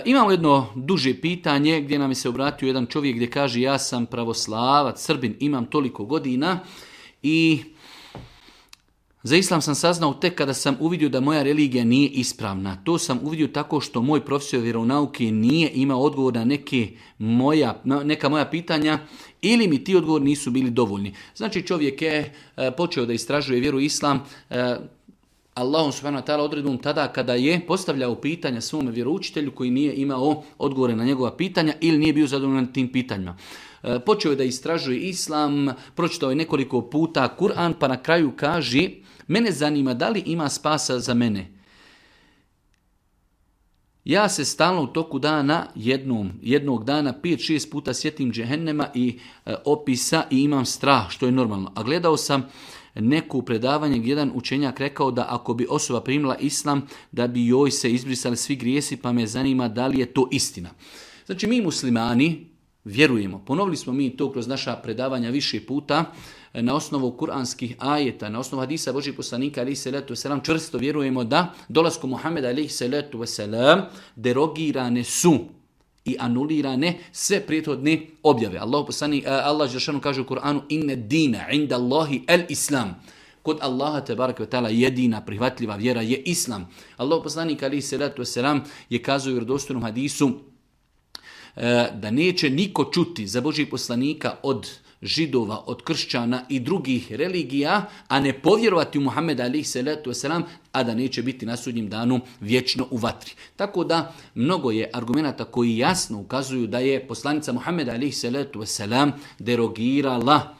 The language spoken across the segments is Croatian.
Imamo jedno duže pitanje gdje nam je se obratio jedan čovjek gdje kaže ja sam pravoslavac, Srbin, imam toliko godina i za islam sam saznao tek kada sam uvidio da moja religija nije ispravna. To sam uvidio tako što moj profesor vjeronauke nije imao odgovor na neka moja pitanja ili mi ti odgovori nisu bili dovoljni. Znači čovjek je počeo da istražuje vjeru islam Allahom subhanahu wa ta'ala odredbom tada kada je postavljao pitanja svome vjeroučitelju koji nije imao odgovore na njegova pitanja ili nije bio zadovoljan tim pitanjima. Počeo je da istražuje islam, pročitao je nekoliko puta Kur'an, pa na kraju kaže, mene zanima da li ima spasa za mene. Ja se stalno u toku dana, jednog dana 5-6 puta sjetim džehennema i opisa i imam strah, što je normalno. A gledao sam neko predavanje gdje jedan učenjak rekao da ako bi osoba primila islam, da bi joj se izbrisali svi grijesi, pa me zanima da li je to istina. Znači mi muslimani vjerujemo, ponovili smo mi to kroz naša predavanja više puta, na osnovu kuranskih ajeta, na osnovu hadisa Božih poslanika alejhi salatu vesselam čvrsto vjerujemo da dolaskom Muhameda alejhi salatu vesselam derogirane su i anulirane sve prethodne objave. Allah dželešanu kaže u Kur'anu inna dina inda Allahi el-Islam. Kod Allaha tebareke ve taala jedina prihvatljiva vjera je islam. Allah poslanik alejhi salatu vesselam je kazao u vjerodostojnom hadisu da neće niko čuti za Božih poslanika od Židova, od kršćana i drugih religija, a ne povjerovati u Muhammeda alejhi salatu vesselam, a da neće biti na sudnjem danu vječno u vatri. Tako da mnogo je argumenata koji jasno ukazuju da je poslanica Muhammeda alejhi salatu vesselam derogirala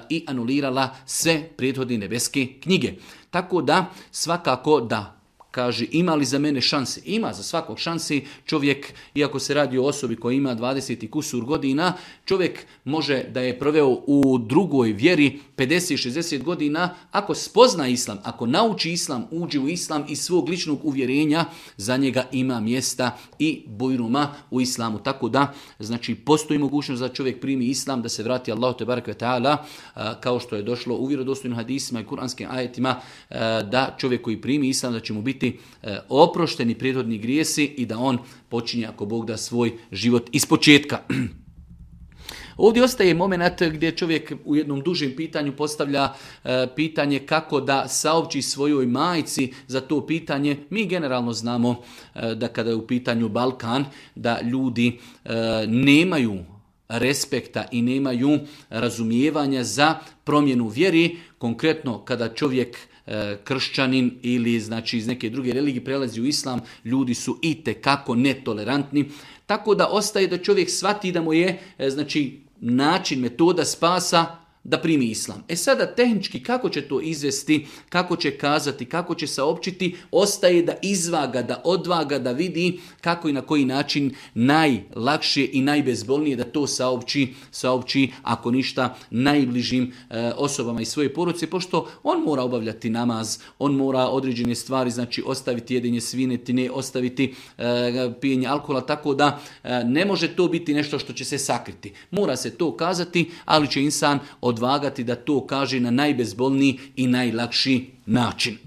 i anulirala sve prethodne nebeske knjige. Tako da svakako da kaže, ima li za mene šanse? Ima za svakog šansi. Čovjek, iako se radi o osobi koja ima 20 i kusur godina, čovjek može da je proveo u drugoj vjeri 50-60 godina. Ako spozna islam, ako nauči islam, uđe u islam iz svog ličnog uvjerenja, za njega ima mjesta i bujruma u islamu. Tako da, znači, postoji mogućnost da čovjek primi islam, da se vrati Allahu tebareke ve taala, kao što je došlo u vjerodostojnim hadisima i kuranskim ajetima, da čovjek koji primi islam, da će mu biti oprošteni prethodni grijesi i da on počinje, ako Bog da, svoj život ispočetka. Ovdje ostaje moment gdje čovjek u jednom dužem pitanju postavlja pitanje kako da saopći svojoj majci za to pitanje. Mi generalno znamo da kada je u pitanju Balkan, da ljudi nemaju respekta i nemaju razumijevanja za promjenu vjeri. Konkretno kada čovjek kršćanin ili znači iz neke druge religije prelazi u islam, ljudi su itekako netolerantni. Tako da ostaje da čovjek shvati da mu je znači način, metoda spasa da primi islam. Sada tehnički kako će to izvesti, kako će kazati, kako će saopćiti, ostaje da izvaga, da odvaga, da vidi kako i na koji način najlakše i najbezbolnije da to saopći ako ništa najbližim osobama iz svoje porodice, pošto on mora obavljati namaz, on mora određene stvari, znači ostaviti jedenje svinetine, ostaviti pijenje alkohola, tako da ne može to biti nešto što će se sakriti. Mora se to kazati, ali će insan odvagati da to kaže na najbezbolniji i najlakši način.